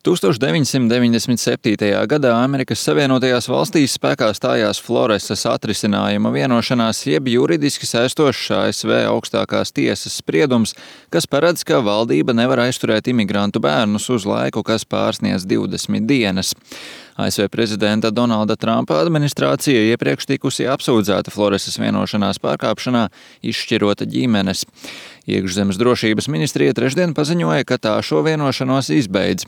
1997. gadā Amerikas Savienotajās valstīs spēkā stājās Floresas atrisinājuma vienošanās, jeb juridiski saistošs ASV augstākās tiesas spriedums, kas paredz, ka valdība nevar aizturēt imigrantu bērnus uz laiku, kas pārsniedz 20 dienas. ASV prezidenta Donalda Trumpa administrācija iepriekš tikusi apsūdzēta Floresas vienošanās pārkāpšanā, izšķirot ģimenes. Iekšzemes drošības ministrija trešdien paziņoja, ka tā šo vienošanos izbeidz.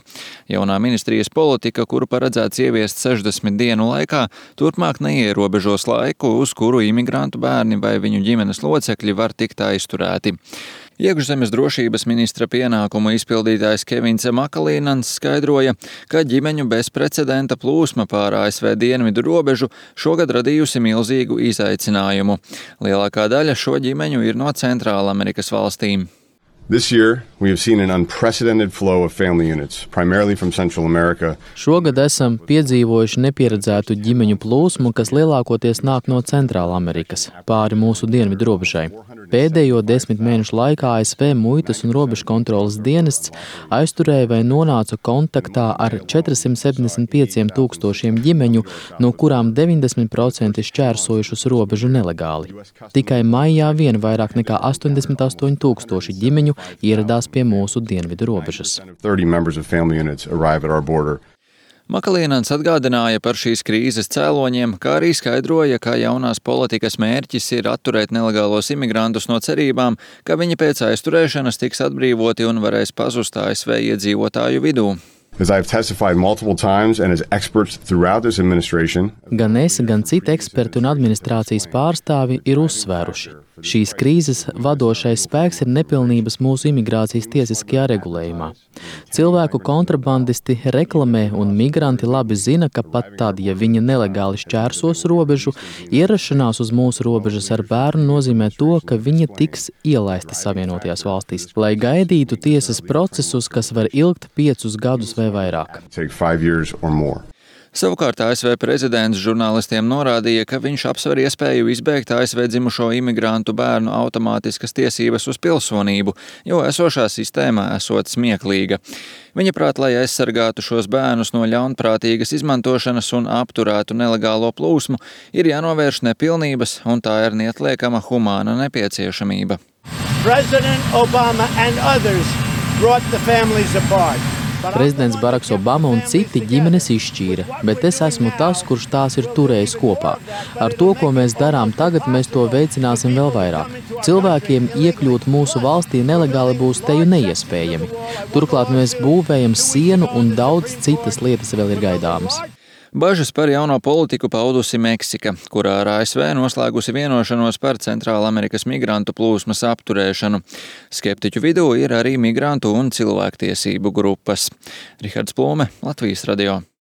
Jaunā ministrijas politika, kuru paredzēts ieviest 60 dienu laikā, turpmāk neierobežos laiku, uz kuru imigrantu bērni vai viņu ģimenes locekļi var tikt aizturēti. Iekšzemes drošības ministra pienākumu izpildītājs Kevins Makalīnans skaidroja, ka ģimeņu bezprecedenta plūsma pār ASV dienvidu robežu šogad radījusi milzīgu izaicinājumu. Lielākā daļa šo ģimeņu ir no Centrālamerikas valstīm. This year, we have seen an unprecedented flow of family units, primarily from Central America. Šogad esam piedzīvojuši nepieredzētu ģimeņu plūsmu, kas lielākoties nāk no Centrālamerikas, pāri mūsu dienvidu robežai. Pēdējo 10 mēnešu laikā ASV muitas un robežu kontroles dienests aizturēja vai nonāca kontaktā ar 475 000 ģimeņu, no kurām 90% šķērsojušas robežu nelegāli. Tikai maijā vien vairāk nekā 88 000 ģimeņu ieradās pie mūsu dienvidu robežas. Makalīnans atgādināja par šīs krīzes cēloņiem, kā arī skaidroja, ka jaunās politikas mērķis ir atturēt nelegālos imigrantus no cerībām, ka viņi pēc aizturēšanas tiks atbrīvoti un varēs pazust ASV iedzīvotāju vidū. Gan es, gan citi eksperti un administrācijas pārstāvi ir uzsvēruši. Šīs krīzes vadošais spēks ir nepilnības mūsu imigrācijas tiesiskajā regulējumā. Cilvēku kontrabandisti reklamē un migranti labi zina, ka pat tad, ja viņi nelegāli šķērsos robežu, ierašanās uz mūsu robežas ar bērnu nozīmē to, ka viņi tiks ielaisti Savienotajās valstīs, lai gaidītu tiesas procesus, kas var ilgt 5 gadus vai vairāk. Savukārt ASV prezidents žurnālistiem norādīja, ka viņš apsver iespēju izbeigt ASV dzimušo imigrantu bērnu automātiskas tiesības uz pilsonību, jo esošā sistēma esot smieklīga. Viņa prāt, lai aizsargātu šos bērnus no ļaunprātīgas izmantošanas un apturētu nelegālo plūsmu, ir jānovērš nepilnības, un tā ir neatliekama humāna nepieciešamība. President Obama and others brought the families apart. Prezidents Baraks Obama un citi ģimenes izšķīra, bet es esmu tas, kurš tās ir turējis kopā. Ar to, ko mēs darām tagad, mēs to veicināsim vēl vairāk. Cilvēkiem iekļūt mūsu valstī nelegāli būs teju neiespējami. Turklāt mēs būvējam sienu un daudz citas lietas vēl ir gaidāmas. Bažas par jauno politiku paudusi Meksika, kurā ar ASV noslēgusi vienošanos par Centrālamerikas migrantu plūsmas apturēšanu. Skeptiķu vidū ir arī migrantu un cilvēktiesību grupas. Rihards Plūme, Latvijas radio.